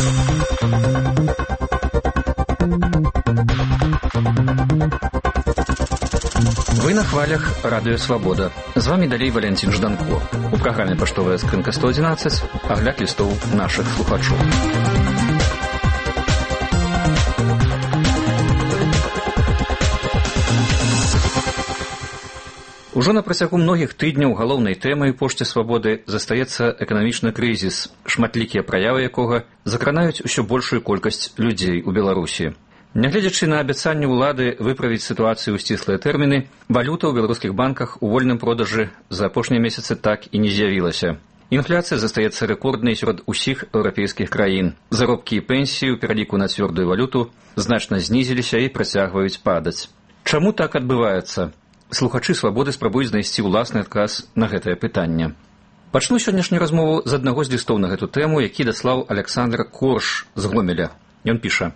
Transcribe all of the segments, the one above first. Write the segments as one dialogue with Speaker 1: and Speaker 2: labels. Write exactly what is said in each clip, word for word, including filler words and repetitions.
Speaker 1: Вы на хвалях Радио Свобода. З вами далей Валентин Жданко. У праграме «Паштовая скрынка сто одиннадцать» агляд лістоў нашых слухачоў. Ужо на працягу многіх тыдняў галоўнай тэмай пошце свабоды застаецца эканамічны крызіс, шматлікія праявы якога закранаюць усё большую колькасць людзей у Беларусі. Нягледзячы на абяцанне ўлады выправіць сітуацыю ў сціслыя тэрміны, валюта ў беларускіх банках у вольным продажы за апошнія месяцы так і не з'явілася. Інфляцыя застаецца рэкорднай сярод усіх еўрапейскіх краін. Заробкі і пенсіі ў пераліку на цвёрдую валюту значна знізіліся і працягваюць падаць. Чаму так адбываецца? Слухачы свабоды спрабуюць знайсці ўласны адказ на гэтае пытанне. Пачну сённяшнюю размову з аднаго з лістоў на гэту тэму, які даслаў Александр Корш з Гомеля. Ён піша: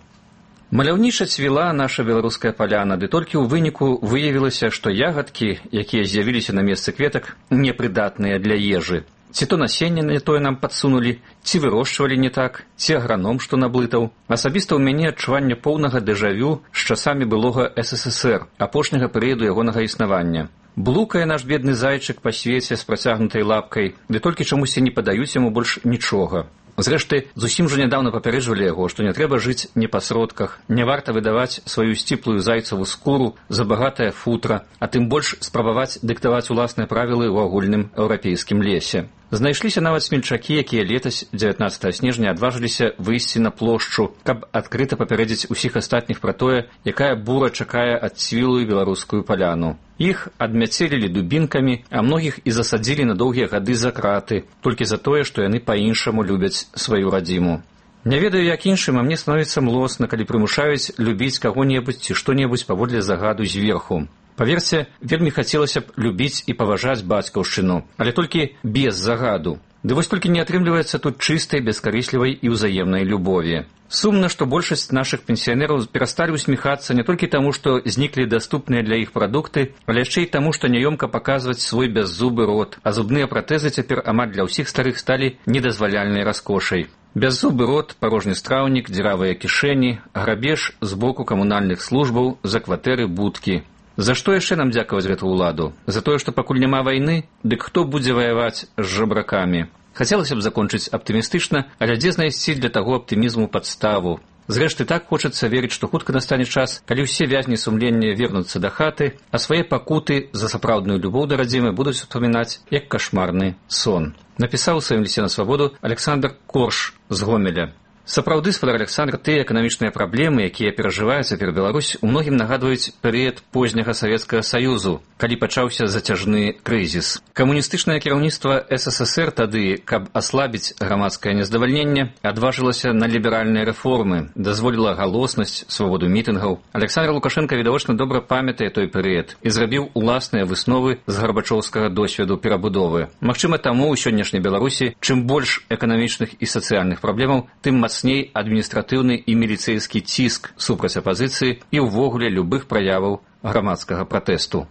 Speaker 1: «Маляўніча цвіла наша беларуская паляна, ды толькі ў выніку выявілася, што ягадкі, якія з'явіліся на месцы кветак, непрыдатныя для ежы. Ці то насенне не тое нам падсунулі, ці вырошчвалі не так, ці аграном што наблытаў. Асабіста ў мяне адчуванне поўнага дэжавю з часамі былога эс эс эс эр, апошняга перыяду ягонага існавання. Блукае наш бедны зайчык па свеце з працягнутай лапкай, ды толькі чамусьці не падаюць яму больш нічога. Зрэшты, зусім жа нядаўна папярэджвалі яго, што не трэба жыць не па сродках, не варта выдаваць сваю сціплую зайцаву скуру за багатае футра, а тым больш спрабаваць дыктаваць уласныя правілы ў агульным еўрапейскім лесе. Знайшліся нават смельчакі, якія летась дзевятнаццатага снежня адважыліся выйсці на плошчу, каб адкрыта папярэдзіць усіх астатніх пра тое, якая бура чакае ад цвілую беларускую паляну. Іх адмяцелілі дубінкамі, а многіх і засадзілі на доўгія гады за краты, толькі за тое, што яны па-іншаму любяць сваю радзіму. Не ведаю, як іншым, а мне становіцца млосна, калі прымушаюць любіць каго-небудзь ці што-небудзь паводле загаду зверху. Паверце, вельмі хацелася б любіць і паважаць бацькаўшчыну, але толькі без загаду. Ды вось толькі не атрымліваецца тут чыстай, бескарыслівай і ўзаемнай любові. Сумна, што большасць нашых пенсіянераў перасталі усміхацца не толькі таму, што зніклі даступныя для іх прадукты, але яшчэ і таму, што няёмка паказваць свой бяззубы рот, а зубныя пратэзы цяпер амаль для ўсіх старых сталі недазваляльнай раскошай. Бяззубы рот, парожні страўнік, дзіравыя кішэні, грабеж з боку камунальных службаў за кватэры будкі. За што яшчэ нам дзякаваць гэту ўладу? За тое, што пакуль няма вайны? Дык хто будзе ваяваць з жабракамі? Хацелася б закончыць аптымістычна, але дзе знайсці для таго аптымізму падставу? Зрэшты, так хочацца верыць, што хутка настане час, калі ўсе вязні сумлення вернуцца да хаты, а свае пакуты за сапраўдную любоў да радзімы будуць успамінаць як кашмарны сон. Напісаў у сваім лісце на свабоду Александр Корш з Гомеля. Сапраўды, спадар Александр, тыя эканамічныя праблемы, якія перажывае цяпер Беларусь, у многім нагадваюць перыяд позняга Савецкага Саюзу, калі пачаўся зацяжны крызіс. Камуністычнае кіраўніцтва эс эс эс эр тады, каб аслабіць грамадскае нездавальненне, адважылася на ліберальныя рэформы, дазволіла галоснасць, свабоду мітынгаў. Александр Лукашенко відавочна добра памятае той перыяд і зрабіў уласныя высновы з гарбачоўскага досведу перабудовы. Магчыма, таму ў сённяшняй Беларусі чым больш эканамічных і сацыяльных праблемаў, тым мацней адміністратыўны і міліцэйскі ціск супраць апазіцыі і ўвогуле любых праяваў грамадскага пратэсту.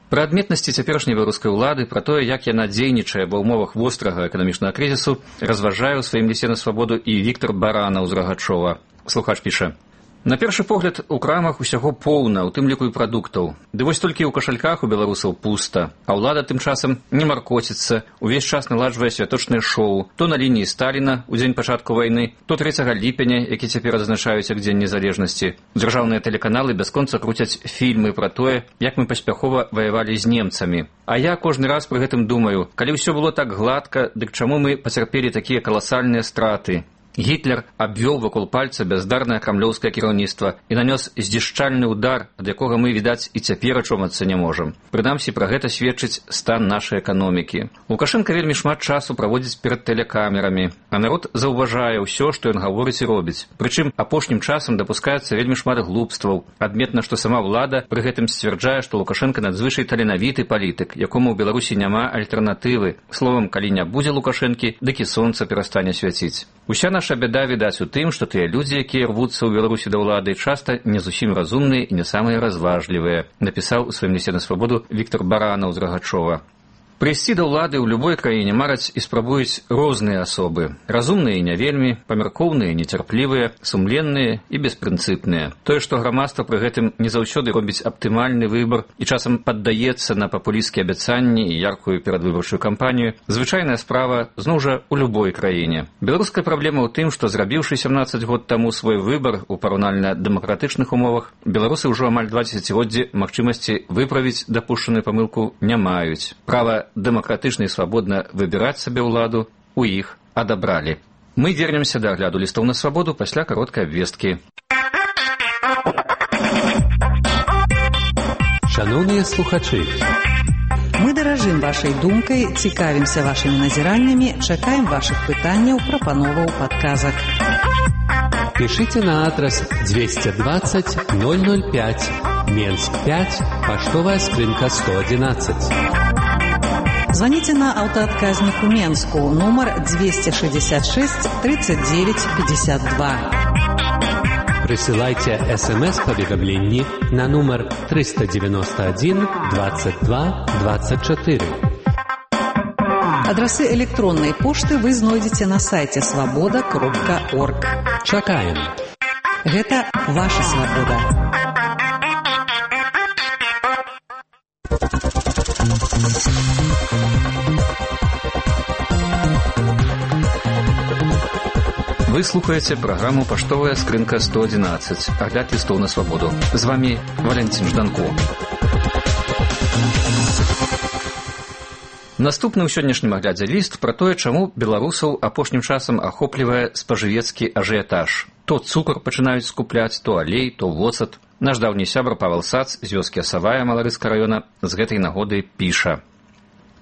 Speaker 1: Пра адметнасці цяперашняй беларускай улады, пра тое, як яна дзейнічае ва ўмовах вострага эканамічнага крызісу, разважае ў сваім лісце на свабоду і Віктор Баранаў з Рагачова. Слухач піша: на першы погляд, у крамах усяго поўна, у тым ліку і прадуктаў. Ды вось толькі ў кашальках у беларусаў пуста, а ўлада тым часам не маркоціцца, увесь час наладжвае святочнае шоу, то на лініі Сталіна ў дзень пачатку вайны, то трэцяга ліпеня, які цяпер адзначаюць як дзень незалежнасці. Дзяржаўныя тэлеканалы бясконца круцяць фільмы пра тое, як мы паспяхова ваявалі з немцамі. А я кожны раз пры гэтым думаю, калі ўсё было так гладка, дык чаму мы пацярпелі такія каласальныя страты? Гітлер абвёл вакол пальца бяздарнае крамлёўскае кіраўніцтва і нанёс здзішчальны ўдар, ад якога мы, відаць, і цяпер ачомацца не можам. Прынамсі, пра гэта сведчыць стан нашай эканомікі. Лукашенка вельмі шмат часу праводзіць перад тэлекамерамі, а народ заўважае ўсё, што ён гаворыць і робіць. Прычым апошнім часам дапускаецца вельмі шмат глупстваў. Адметна, што сама ўлада пры гэтым сцвярджае, што Лукашенка надзвычай таленавіты палітык, якому ў Беларусі няма альтэрнатывы. Словам, калі не будзе Лукашэнкі, дык і сонца перастане свяціць. Уся наша бяда відаць у тым, што тыя людзі, якія рвуцца ў Беларусі да ўлады, часта не зусім разумныя і не самыя разважлівыя, напісаў у сваім лісце на свабоду Віктор Баранаў з Рагачова. Прыйсці да ўлады ў любой краіне мараць і спрабуюць розныя асобы. Разумныя і не вельмі, памяркоўныя, нецярплівыя, сумленныя і беспрынцыпныя. Тое, што грамадства пры гэтым не заўсёды робіць аптымальны выбар і часам паддаецца на папулісцкія абяцанні і яркую перадвыбарчую кампанію, звычайная справа зноў жа ў любой краіне. Беларуская праблема ў тым, што зрабіўшы сямнаццаць год таму свой выбар у параўнальна дэмакратычных умовах, беларусы ўжо амаль два дзесяцігоддзі магчымасці выправіць дапушчаную памылку не маюць. Права дэмакратычна і свабодна выбіраць сабе ўладу у іх адабралі. Мы вернемся да агляду лістоў на свабоду пасля кароткай абвесткі.
Speaker 2: Шановныя слухачы,
Speaker 3: мы даражым вашай думкай, цікавімся вашымі назіраннямі, чакаем вашых пытанняў, прапановаў, падказак.
Speaker 2: Пишите на адрес двести двадцать ноль ноль пять, Менск пять, поштовая скрынка сто одиннадцать.
Speaker 3: Звоните на автоотказник у Менску, номер двести шестьдесят шесть тридцать девять пятьдесят два.
Speaker 2: Присылайте смс-поведомление на номер триста девяносто один двадцать два двадцать четыре.
Speaker 3: Адресы электронной почты вы знойдете на сайте свобода кропка орг.
Speaker 2: Чакаем.
Speaker 3: Гэта ваша свобода.
Speaker 1: Вы слухаете праграму «Паштовая скрынка сто одиннадцать», агляд лістоў на свабоду. З вами Валентин Жданко. Наступны ў сённяшнім аглядзе ліст пра тое, чаму беларусаў апошнім часам ахоплівае спажывецкі ажыятаж. То цукар пачынаюць скупляць, то алей, то воцат. Наш даўні сябар Павел Сац з вёскі Асавая Маларыцкага раёна з гэтай нагоды піша.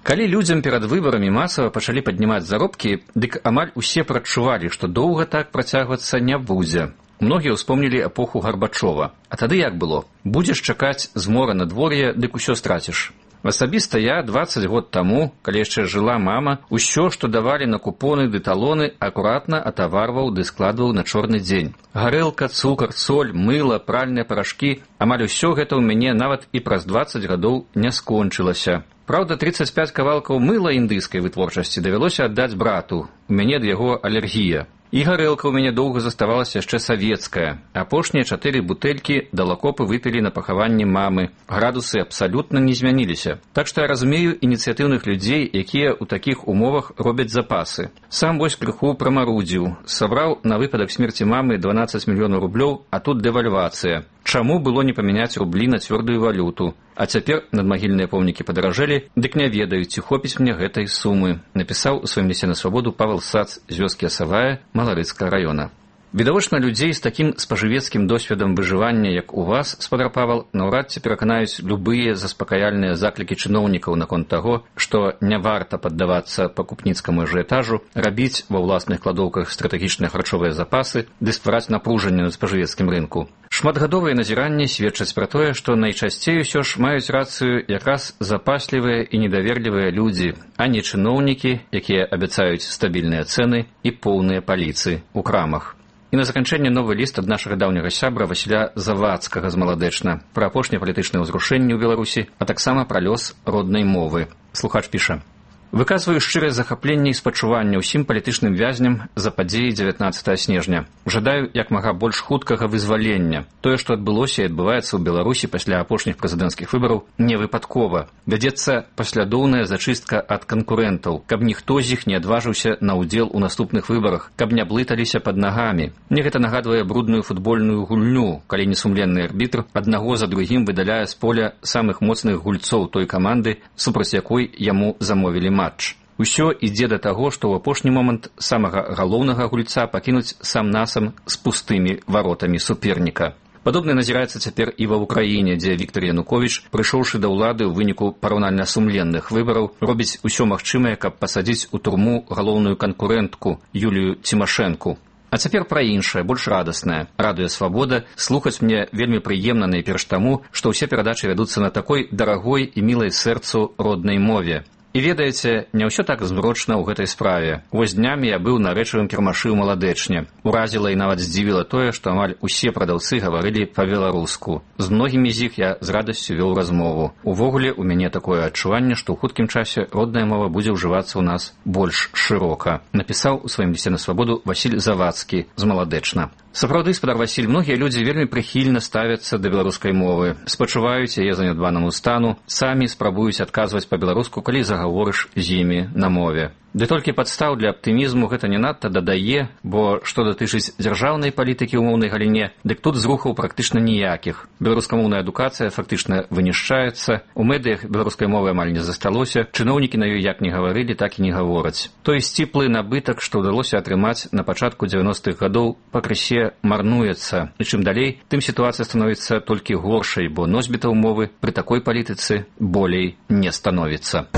Speaker 1: Калі людзям перад выбарамі масава пачалі паднімаць заробкі, дык амаль усе прадчувалі, што доўга так працягвацца не будзе. Многія ўспомнілі эпоху Гарбачова. А тады як было? Будзеш чакаць змора надвор'я, дык усё страціш. Асабіста я дваццаць год таму, калі яшчэ жыла мама, усё, што давалі на купоны ды талоны, акуратна атаварваў ды складваў на чорны дзень. Гарэлка, цукар, соль, мыла, пральныя парашкі, амаль усё гэта ў мяне нават і праз дваццаць гадоў не скончылася. Праўда, тридцать пять кавалкаў мыла індыйскай вытворчасці давялося аддаць брату. У мяне ад яго алергія. І гарэлка ў мяне доўга заставалася яшчэ савецкая. Апошнія чатыры бутэлькі далакопы выпілі на пахаванні мамы. Градусы абсалютна не змяніліся. Так што я разумею ініцыятыўных людзей, якія ў такіх умовах робяць запасы. Сам вось крыху прамарудзіў. Сабраў на выпадак смерці мамы дванаццаць мільёнаў рублёў, а тут дэвальвацыя. Чаму было не памяняць рублі на цвёрдую валюту? А цяпер надмагільныя помнікі падаражэлі, дык не ведаю, ці хопіць мне гэтай сумы, напісаў у сваім лісце на свабоду Павел Сац з вёскі Асавая Маларыцкага раёна. Відавочна, людзей з такім спажывецкім досведам выжывання, як у вас, спадар Павел, наўрад ці пераканаюць любыя заспакаяльныя заклікі чыноўнікаў наконт таго, што не варта паддавацца пакупніцкаму ажыятажу, рабіць ва ўласных кладоўках стратэгічныя харчовыя запасы ды ствараць напружанне на спажывецкім рынку. Шматгадовыя назіранні сведчаць пра тое, што найчасцей усё ж маюць рацыю якраз запаслівыя і недаверлівыя людзі, а не чыноўнікі, якія абяцаюць стабільныя цэны і поўныя паліцы ў крамах. І на заканчэнне новы ліст ад нашага даўняга сябра Васіля Завадскага з Маладэчна пра апошнія палітычныя ўзрушэнні ў Беларусі, а таксама пра лёс роднай мовы. Слухач піша. Выказваю шчырае захапленне і спачуванне ўсім палітычным вязням за падзеі дзевятнаццатага снежня. Жадаю як мага больш хуткага вызвалення. Тое, што адбылося і адбываецца ў Беларусі пасля апошніх прэзідэнцкіх выбараў, не выпадкова. Вядзецца паслядоўная зачыстка ад канкурэнтаў, каб ніхто з іх не адважыўся на ўдзел у наступных выбарах, каб не блыталіся пад нагамі. Мне гэта нагадвае брудную футбольную гульню, калі несумленны арбітр аднаго за другім выдаляе з поля самых моцных гульцоў той каманды, супраць якой яму замовілі матч. Усё ідзе да таго, што ў апошні момант самага галоўнага гульца пакінуць сам-насам з пустымі варотамі суперніка. Падобна назіраецца цяпер і ва ўкраіне, дзе Віктор Януковіч, прыйшоўшы да ўлады ў выніку параўнальна сумленных выбараў, робіць усё магчымае, каб пасадзіць у турму галоўную канкурэнтку Юлію Цімашэнку. А цяпер пра іншае, больш радаснае. Радуе свабода, слухаць мне вельмі прыемна найперш таму, што ўсе перадачы вядуцца на такой дарагой і мілай сэрцу роднай мове. І ведаеце, не ўсё так змрочна ў гэтай справе. Вось днямі я быў на рэчавым кірмашы ў Маладэчне. Уразіла і нават здзівіла тое, што амаль усе прадаўцы гаварылі па-беларуску. З многімі з іх я з радасцю вёў размову. Увогуле, у мяне такое адчуванне, што ў хуткім часе родная мова будзе ўжывацца ў нас больш шырока. Напісаў у сваім лісце на свабоду Васіль Завадскі з Маладэчна. Сапраўды, спадар Васіль, многія людзі вельмі прыхільна ставяцца да беларускай мовы, спачуваюць яе занядбанаму стану, самі спрабуюць адказваць па-беларуску, калі загаворыш з імі на мове. Ды толькі падстаў для аптымізму гэта не надта дадае, бо што датычыць дзяржаўнай палітыкі ў моўнай галіне, дык тут зрухаў практычна ніякіх. Беларускамоўная адукацыя фактычна вынішчаецца, у медыях беларускай мовы амаль не засталося, чыноўнікі на ёй як не гаварылі, так і не гавораць. Той сціплы набытак, што ўдалося атрымаць на пачатку дзевяностых гадоў, пакрысе марнуецца. І чым далей, тым сітуацыя становіцца толькі горшай, бо носьбітаў мовы пры такой палітыцы болей не становіцца.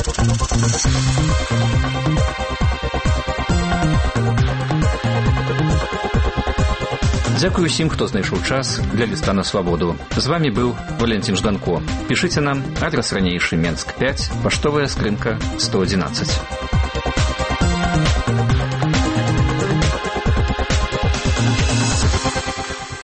Speaker 1: Дзякую усім, хто знайшоў час для ліста на свабоду. З вами быў Валентин Жданко. Пішыце нам, адрас ранейшы Менск пяць, паштовая скрынка сто адзінаццаць.